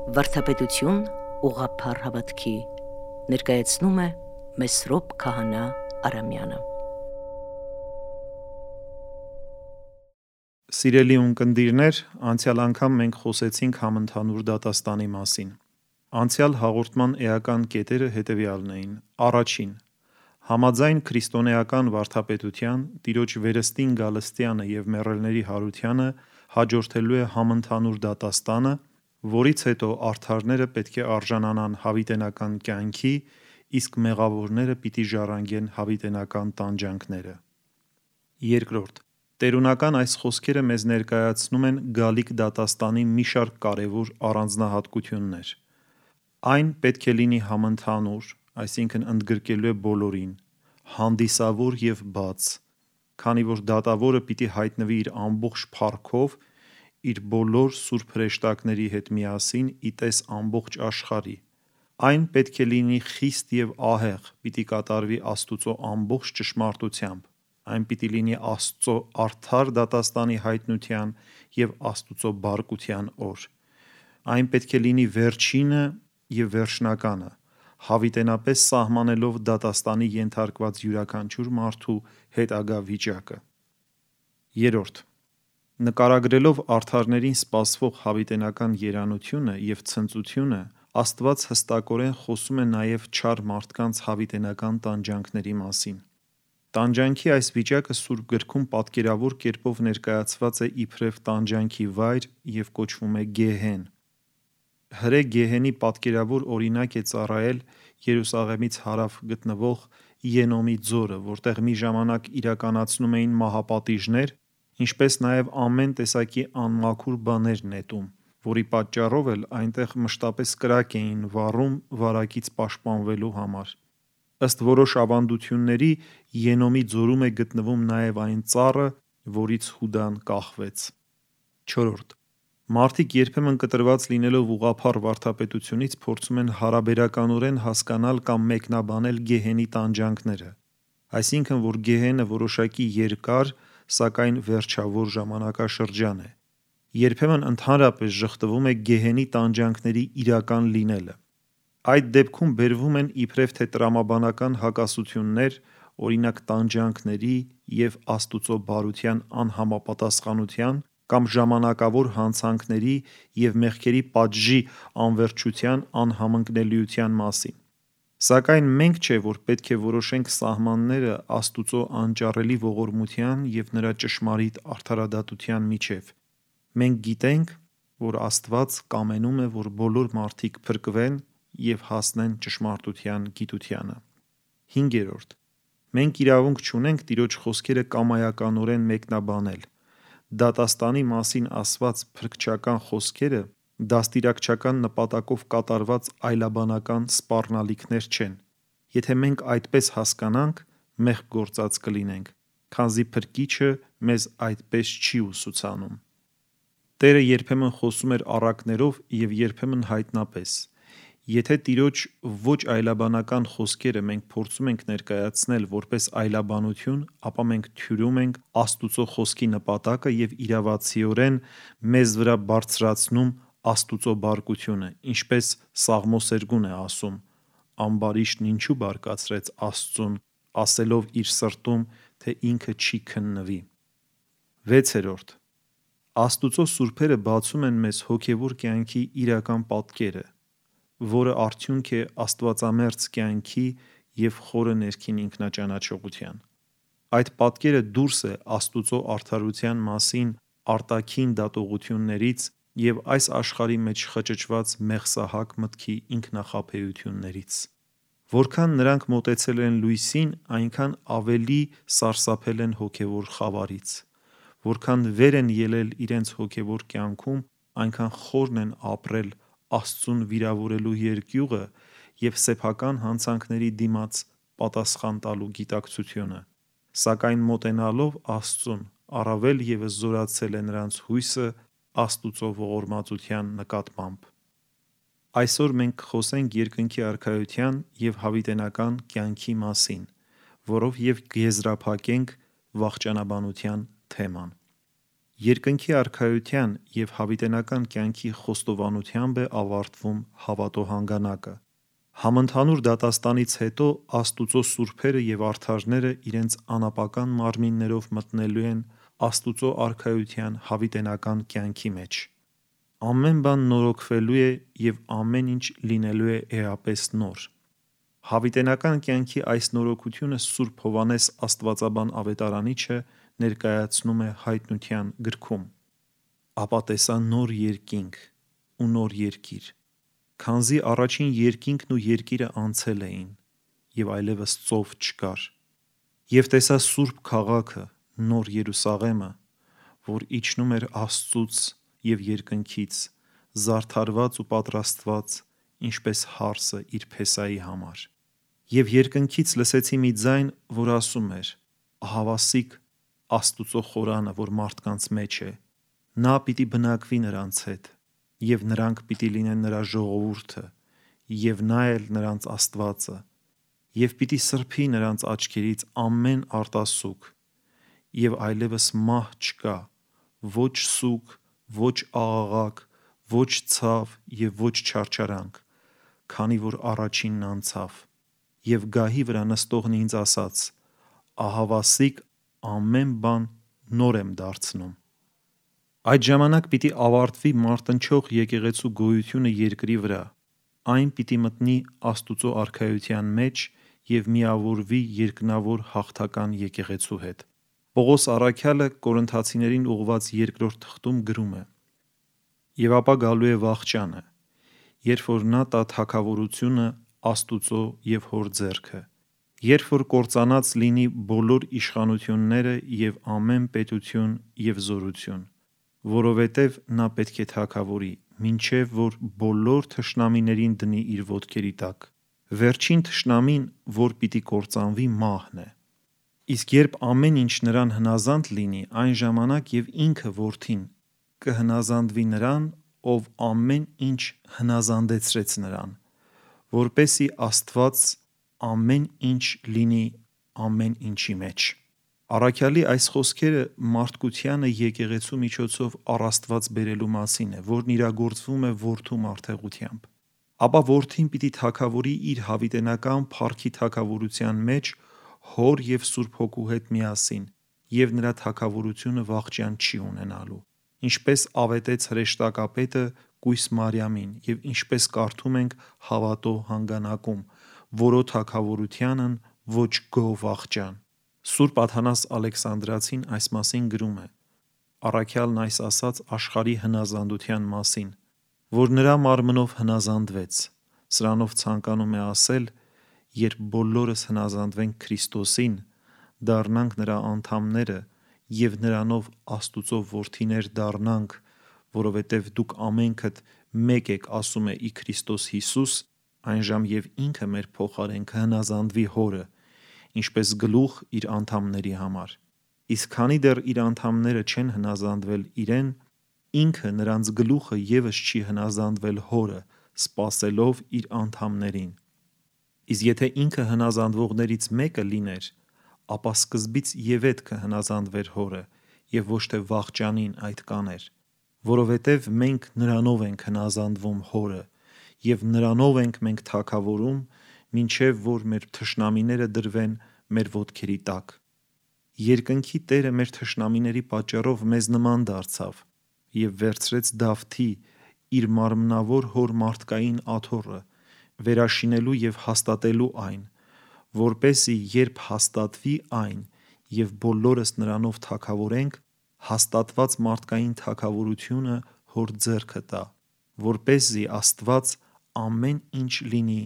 Վարդապետություն ուղղափառ հավատքի ներկայացնում է Մեսրոպ Քահանա Արամյանը։ Սիրելի ունկնդիրներ, անցյալ անգամ մենք խոսեցինք համընդհանուր դատաստանի մասին։ Անցյալ հաղորդման էական կետերը հետևյալն էին. Առաջին, համաձայն քրիստոնեական վարդապետության, Տիրոջ վերստին գալստյանը և մեռելների հարությանը հաջորդելու է համընդհանուր դատաստանը, որից հետո արդարները պետք է արժանանան հավիտենական կյանքի, իսկ մեղավորները պիտի ժառանգեն հավիտենական տանջանքները։ Երկրորդ, տերունական այս խոսքերը մեզ ներկայացնում են գալիք դատաստանի մի շարք կարևոր առանձնահատկություններ։ Այն պետք է լինի համընդհանուր, այսինքն ընդգրկելու է բոլորին, հանդիսավոր և բաց, քանի որ դատավորը պիտի հայտնվի իր ամբողջ փառքով, իր բոլոր սուրբ հրեշտակների հետ միասին ի տես ամբողջ աշխարհի։ Այն պետք է լինի խիստ և ահեղ, պիտի կատարվի Աստուծո ամբողջ ճշմարտությամբ, այն պիտի լինի Աստծո արդար դատաստանի հայտնության և Աստուծո բարկության օր։ Այն պետք է լինի վերջինը և վերջնականը, հավիտենապես սահմանելով դատաստանի ենթարկված յուրաքանչյուր մարդու հետագա վիճակը։ Երրորդ, նկարագրելով արդարներին սպասվող հավիտենական երանությունը և ցնծությունը, Աստված հստակորեն խոսում է նաև չար մարդկանց հավիտենական տանջանքների մասին։ Տանջանքի այս վիճակը Սուրբ Գրքում պատկերավոր կերպով ներկայացված է իբրև տանջանքի վայր և կոչվում է Գեհեն։ Հրե Գեհենի պատկերավոր օրինակ է ծառայել Երուսաղեմից հարավ գտնվող Ենոմի ձորը, որտեղ մի ժամանակ իրականացնում էին մահապատիժներ, ինչպես նաև ամեն տեսակի անմաքուր բաներ նետում, որի պատճառով էլ այնտեղ մշտապես կրակ էին վառում վարակից պաշտպանվելու համար։ Ըստ որոշ ավանդությունների, Ենոմի ձորում է գտնվում նաև այն ծառը, որից Հուդան կախվեց։ Չորրորդ, մարդիկ երբեմն կտրված լինելով ուղղափառ վարդապետությունից փորձում են հարաբերականորեն հասկանալ կամ մեկնաբանել Գեհենի տանջանքները, այսինքն, որ Գեհենը որոշակի երկար, սակայն վերջավոր ժամանակաշրջան է։ Երբեմն ընդհանրապես ժխտվում է Գեհենի տանջանքների իրական լինելը։ Այդ դեպքում բերվում են իբրև թե տրամաբանական հակասություններ, օրինակ տանջանքների և Աստուծո բարության անհամապատասխանության կամ ժամանակավոր հանցանքների և մեղքերի պատժի անվերջության անհամընկնելիության մասին։ Սակայն մենք չէ, որ պետք է որոշենք սահմանները Աստուծո անճառելի ողորմության և նրա ճշմարիտ արդարադատության միջև։ Մենք գիտենք, որ Աստված կամենում է, որ բոլոր մարդիկ փրկվեն և հասնեն ճշմարտության գիտությանը։ Հինգերորդ, մենք իրավունք չունենք Տիրոջ խոսքերը կամայականորեն մեկնաբանել։ Դատաստանի մասին ասված փրկչական խոսքերը դաստիարակչական նպատակով կատարված այլաբանական սպառնալիքներ չեն։ Եթե մենք այդպես հասկանանք, մեղք գործած կլինենք, քանզի Փրկիչը մեզ այդպես չի ուսուցանում։ Տերը երբեմն խոսում էր առակներով և երբեմն հայտնապես։ Եթե Տիրոջ ոչ այլաբանական խոսքերը մենք փորձում ենք ներկայացնել որպես այլաբանություն, ապա մենք թյուրում ենք Աստուծո խոսքի նպատակը և իրավացիորեն մեզ վրա բարձրացնում Աստուծո բարկությունը, ինչպես Սաղմոսերգուն է ասում. «Ամբարիշտն ինչու բարկացրեց Աստծուն, ասելով իր սրտում, թե ինքը չի քննվի»։ Վեցերորդ, Աստուծո սուրբերը բացում են մեզ հոգևոր կյանքի իրական պատկերը, որը արդյունք է աստվածամերձ կյանքի և խորը ներքին ինքնաճանաչողության։ Այդ պատկերը դուրս է Աստուծո արդարության մասին արտաքին դատողություններից և այս աշխարհի մեջ խճճված մեղսահակ մտքի ինքնախաբեություններից։ Որքան նրանք մոտեցել են լույսին, այնքան ավելի սարսափել են հոգևոր խավարից։ Որքան վեր են ելել իրենց հոգևոր կյանքում, այնքան խորն են ապրել Աստծուն վիրավորելու երկյուղը և սեփական հանցանքների դիմաց պատասխան տալու գիտակցությունը։ Սակայն մոտենալով Աստծուն, առավել ևս զորացել է նրանց հույսը Աստուծո ողորմածության նկատմամբ։ Այսօր մենք կխոսենք երկնքի Արքայության և հավիտենական կյանքի մասին, որով և կեզրափակենք վախճանաբանության թեման։ Երկնքի արքայության և հավիտենական կյանքի խոստովանությամբ է ավարտվում հավատո հանգանակը։ Համընդհանուր դատաստանից հետո Աստուծո սուրբերը և արդարները իրենց անապական մարմիններով մտնելու են Աստուծո արքայության հավիտենական կյանքի մեջ։ Ամեն բան նորոգվելու է և ամեն ինչ լինելու է էապես նոր։ Հավիտենական կյանքի այս նորոգությունը Սուրբ Հովհաննես Աստվածաբան ավետարանիչը ներկայացնում է Հայտնության գրքում. «Ապա տեսա նոր երկինք ու նոր երկիր, քանզի առաջին երկինքն ու երկիրը անցել էին, և այլևս ծով չկար։ Եվ տեսա Սուրբ Քաղաքը, նոր Երուսաղեմը, որ իջնում էր Աստծուց և երկնքից, զարդարված ու պատրաստված, ինչպես հարսը իր փեսայի համար։ Եվ երկնքից լսեցի մի ձայն, որ ասում էր. ահավասիկ Աստուծո խորանը, որ մարդկանց մեջ է, նա պիտի բնակվի նրանց հետ, և նրանք պիտի լինեն նրա ժողովուրդը, և նա էլ նրանց Աստվածը, և պիտի սրբի նրանց աչքերից ամեն արտասուք, և այլևս մահ չկա, ոչ սուգ, ոչ աղաղակ, ոչ ցավ և ոչ չարչարանք, քանի որ առաջինն անցավ։ Եվ գահի վրա նստողն ինձ ասաց. ահավասիկ ամեն բան նոր եմ դարձնում»։ Այդ ժամանակ պիտի ավարտվի մարտնչող եկեղեցու գոյությունը երկրի վրա, այն պիտի մտնի Աստուծո արքայության մեջ և միավորվի երկնավոր հաղթական եկեղեցու հետ։ Պողոս առաքյալը Կորինթացիներին ուղղված երկրորդ թղթում գրում է. «Եվ ապա գալու է վախճանը, երբ որ նա տա թագավորությունը Աստուծո և Հոր ձեռքը, երբ որ կործանած լինի բոլոր իշխանությունները և ամեն պետություն և զորություն, որովհետև նա պետք է թագավորի, մինչև որ բոլոր թշնամիներին դնի իր ոտքերի տակ։ Վերջին թշնամին, որ պիտի կործանվի, մահն է։ Իսկ երբ ամեն ինչ նրան հնազանդ լինի, այն ժամանակ և ինքը Որդին կհնազանդվի նրան, ով ամեն ինչ հնազանդեցրեց նրան, որպեսզի Աստված ամեն ինչ լինի ամեն ինչի մեջ»։ Առաքյալի այս խոսքերը մարդկությանը եկեղեցու միջոցով առ Աստված բերելու մասին է, որն իրագործվում է Որդու մարդեղությամբ։ Ապա Որդին պիտի թագավորի իր հավիտենական փառքի թագավորության մեջ Հոր և Սուրբ Հոգու հետ միասին, և նրա թագավորությունը վախճան չի ունենալու, ինչպես ավետեց հրեշտակապետը կույս Մարիամին և ինչպես կարդում ենք հավատո հանգանակում, որո թագավորությանն ոչ գոհ վախճան։ Սուրբ Աթանաս Ալեքսանդրացին այս մասին գրում է. առաքյալն այս ասաց աշխարհի հնազանդության մասին, որ նրա մարմնով հնազանդվեց, սրանով ցանկանում է ասել, երբ բոլորս հնազանդվենք Քրիստոսին, դառնանք նրա անդամները և նրանով Աստուծո որդիներ դառնանք, որովհետև դուք ամենքդ մեկ եք, ասում է ի Քրիստոս Հիսուս, այնժամ և ինքը մեր փոխարեն կհնազանդվի Հորը, ինչպես գլուխ իր անդամների համար։ Իսկ քանի դեռ իր անդամները չեն հնազանդվել իրեն, ինքը նրանց գլուխը ևս չի հնազանդվել Հորը, սպասելով իր անդամներին։ Իսկ եթե ինքը հնազանդվողներից մեկը լիներ, ապա սկզբից ևեթ կհնազանդվեր Հորը և ոչ թե վախճանին այդ կաներ, որովհետև մենք նրանով ենք հնազանդվում Հորը, և նրանով ենք մենք թագավորում, մինչև որ մեր թշնամիները դրվեն մեր ոտքերի տակ։ Երկնքի Տերը մեր թշնամիների պատճառով մեզ նման դարձավ և վերցրեց Դավթի՝ իր մարմնավոր հոր մարդկային աթոռը, վերաշինելու և հաստատելու այն, որպեսզի երբ հաստատվի այն և բոլորս նրանով թագավորենք, հաստատված մարդկային թագավորությունը Հոր ձեռքը տա, որպեսզի Աստված ամեն ինչ լինի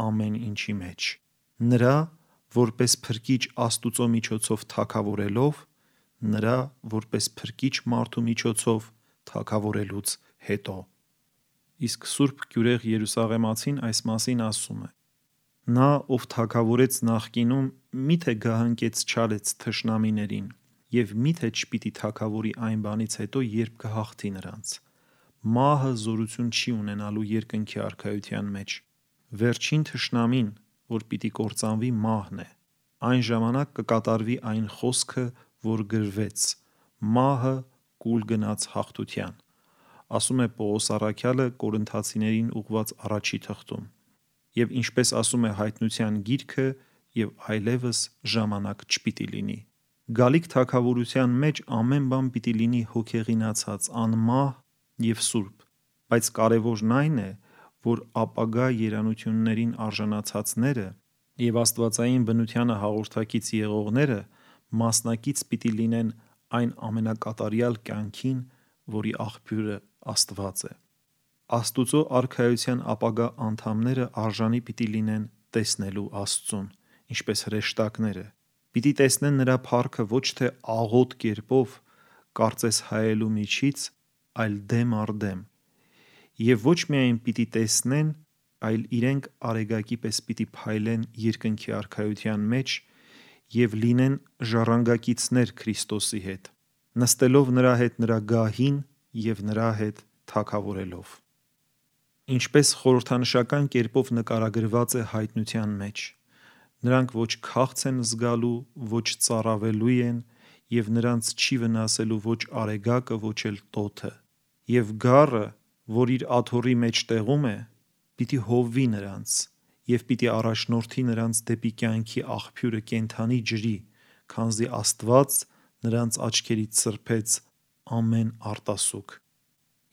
ամեն ինչի մեջ։ Նրա՝ որպես Փրկիչ Աստուծո միջոցով թագավորելով, նրա՝ որպես Փրկիչ մարդու միջոցով թագավորելուց հետո։ Իսկ Սուրբ Գյուրեղ Երուսաղեմացին այս մասին ասում է. «Նա, ով թագավորեց նախկինում, մի՞թե գահընկեց-չարեց թշնամիներին, և մի՞թե չպիտի թագավորի այն բանից հետո, երբ կհաղթի նրանց։ Մահը զորություն չի ունենալու երկնքի արքայության մեջ։ Վերջին թշնամին, որ պիտի կործանվի, մահն է։ Այն ժամանակ կկատարվի այն խոսքը, որ գրվեց. մահը կուլ գնաց հաղթության, ասում է Պողոս առաքյալը Կորինթացիներին ուղված առաջի թղթում, եւ ինչպես ասում է Հայտնության գիրքը, եւ այլևս ժամանակ չպիտի լինի։ Գալիք թագավորության մեջ ամեն բան պիտի լինի հոգեղինացած, անմահ եւ սուրբ, բայց կարևորն այն է, որ ապագա երանություններին արժանացածները եւ աստվածային բնությանը հաղորդակից եղողները մասնակից պիտի լինեն այն ամենակատարյալ կյանքին, որի աղբյուրը Աստված է։ Աստուծո արքայության ապագա անդամները արժանի պիտի լինեն տեսնելու Աստծուն, ինչպես հրեշտակները, պիտի տեսնեն նրա փառքը ոչ թե աղոտ կերպով, կարծես հայելու միջից, այլ դեմ առ դեմ, եւ ոչ միայն պիտի տեսնեն, այլ իրենք արեգակի պես պիտի փայլեն երկնքի արքայության մեջ եւ լինեն ժառանգակիցներ Քրիստոսի հետ, նստելով նրա հետ նրա գահին եւ նրա հետ թագավորելով։ Ինչպես խորհրդանշական կերպով նկարագրված է Հայտնության մեջ, նրանք ոչ քաղց են զգալու, ոչ ծառավելու են եւ նրանց չի վնասելու ոչ արեգակը, ոչ էլ տոթը, եւ գառը, որ իր աթոռի մեջ տեղում է, պիտի հովվի նրանց եւ պիտի առաջնորդի նրանց դեպի կյանքի աղբյուրը կենդանի ջրի, քանզի Աստված նրանց աչքերից սրբեց ամեն արտասուք։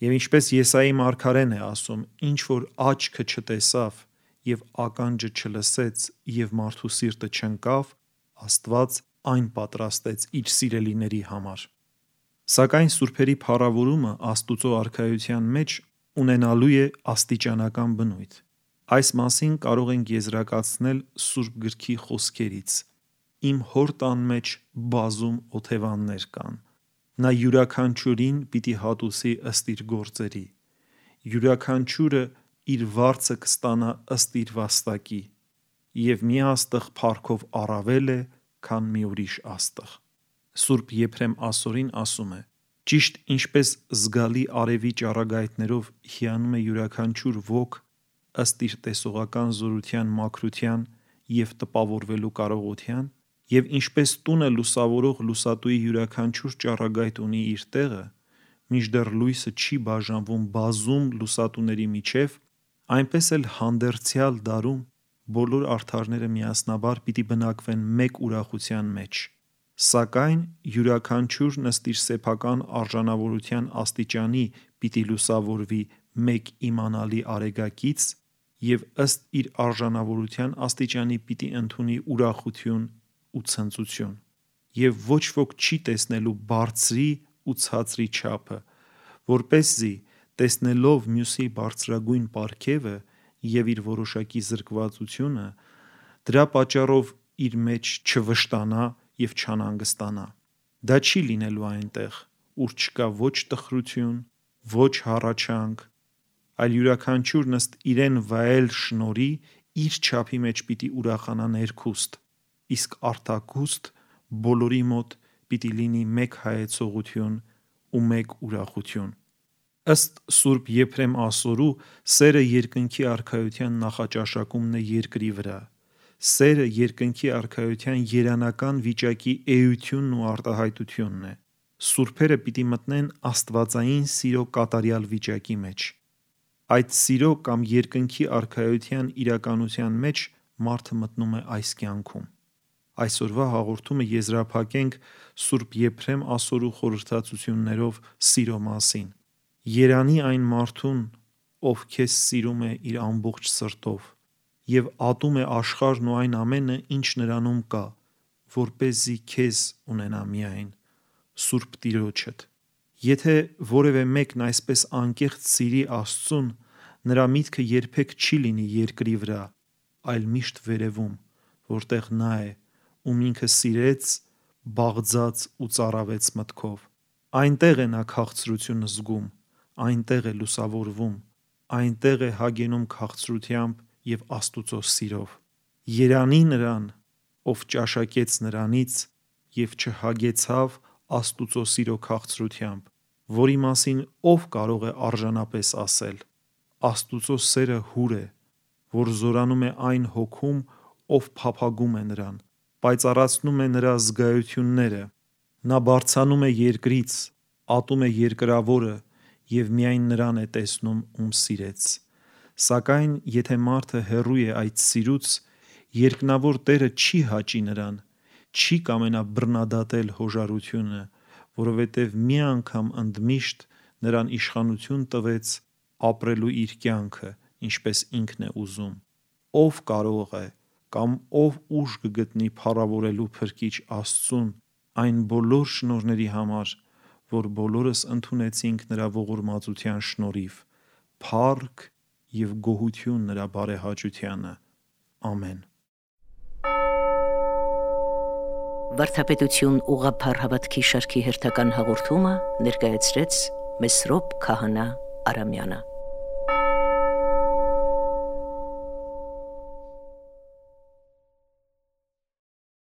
Եվ ինչպես Եսայի մարգարեն է ասում, ինչ որ աչքը չտեսավ եւ ականջը չլսեց եւ մարդու սիրտը չընկավ, Աստված այն պատրաստեց իր սիրելիների համար։ Սակայն սուրբերի փառավորումը Աստուծո արքայության մեջ ունենալու է աստիճանական բնույթ։ Այս մասին կարող ենք եզրակացնել Սուրբ գրքի խոսքերից. Իմ հոր տան մեջ բազում օթևաններ կան։ Նա յուրաքանչյուրին պիտի հատուցի ըստ իր գործերի։ Յուրաքանչյուրը իր վարձը կստանա ըստ իր վաստակի, եւ մի աստղ փառքով առավել է, քան մի ուրիշ աստղ։ Սուրբ Եփրեմ Ասորին ասում է. ճիշտ ինչպես զգալի արևի ճառագայթներով հիանում է յուրաքանչյուր ոգ ըստ իր տեսողական զորության մաքրության եւ տպավորվելու կարողության, եւ ինչպես տունը լուսավորող լուսատուի յուրաքանչյուր ճառագայթ ունի իր տեղը, մինչդեռ լույսը չի բաժանվում բազում լուսատուների միջև, այնպես էլ հանդերձյալ դարում բոլոր արդարները միասնաբար պիտի բնակվեն մեկ ուրախության մեջ, սակայն յուրաքանչյուրն ըստ իր սեփական արժանավորության աստիճանի պիտի լուսավորվի մեկ իմանալի արեգակից եւ ըստ իր արժանավորության աստիճանի պիտի ընդունի ուրախություն ու ցնծություն, եւ ոչ ոք չի տեսնելու բարձրի ու ցածրի չափը, որպեսզի տեսնելով մյուսի բարձրագույն պարգևը եւ իր որոշակի զրկվածությունը, դրա պատճառով իր մեջ չվշտանա եւ չանհանգստանա։ Դա չի լինելու այնտեղ, ուր չկա ոչ տխրություն, ոչ հառաչանք, այլ յուրաքանչյուրն ըստ իրեն վայել շնորհի իր չափի մեջ պիտի ուրախանա ներքուստ, իսկ արտաքուստ բոլորի մոտ պիտի լինի մեկ հայեցողություն ու մեկ ուրախություն։ Ըստ Սուրբ Եփրեմ Ասորու, սերը երկնքի արքայության նախաճաշակումն է երկրի վրա։ Սերը երկնքի արքայության երանական վիճակի էությունն ու արտահայտությունն է։ Սուրբերը պիտի մտնեն աստվածային սիրո կատարյալ վիճակի մեջ։ Այդ սիրո կամ երկնքի արքայության իրականության մեջ մարդը մտնում է այս կյանքում։ Այսօրվա հաղորդումը եզրափակենք Սուրբ Եփրեմ Ասորու խորհրդածություններով սիրո մասին։ Երանի այն մարդուն, ով քեզ սիրում է իր ամբողջ սրտով եւ ատում է աշխարհն ու այն ամենը, ինչ նրանում կա, որպեսզի քեզ ունենա միայն Սուրբ Տիրոջդ։ Եթե որևէ մեկն այսպես անկեղծ սիրի Աստծուն, նրա միտքը երբեք չի լինի երկրի վրա, այլ միշտ վերևում, որտեղ նա է, ում ինքը սիրեց, բաղձաց ու ծառավեց մտքով։ Այնտեղ է նա քաղցրությունը զգում, այնտեղ է լուսավորվում, այնտեղ է հագենում քաղցրությամբ եւ Աստուծո սիրով։ Երանի նրան, ով ճաշակեց նրանից եւ չհագեցավ Աստուծո սիրո քաղցրությամբ, որի մասին ով կարող է արժանապես ասել. Աստուծո սերը հուր է, որ զորանում է այն հոգում, ով փափագում է նրան, պայծառացնում է նրա զգայությունները, նա բարձանում է երկրից, ատում է երկրավորը և միայն նրան է տեսնում, ում սիրեց։ Սակայն եթե մարդը հեռու է այդ սիրուց, երկնավոր Տերը չի հաճի նրան, չի կամենա բռնադատել հոժարությունը, որովհետև մի անգամ ընդմիշտ նրան իշխանություն տվեց ապրելու իր կյանքը, ինչպես ինքն է ուզում։ Ով կարող է կամ ով ուժ կգտնի փառավորելու Փրկիչ Աստծուն այն բոլոր շնորհների համար, որ բոլորս ընդունեցինք նրա ողորմածության շնորհիվ, փառք և գոհություն նրա բարեհաճությանը։ Ամեն։ Վարդապետություն ուղղափառ հավատքի շարքի հերթական հաղորդումը ներկայացրեց Մեսրոպ Քահանա Արամյանը։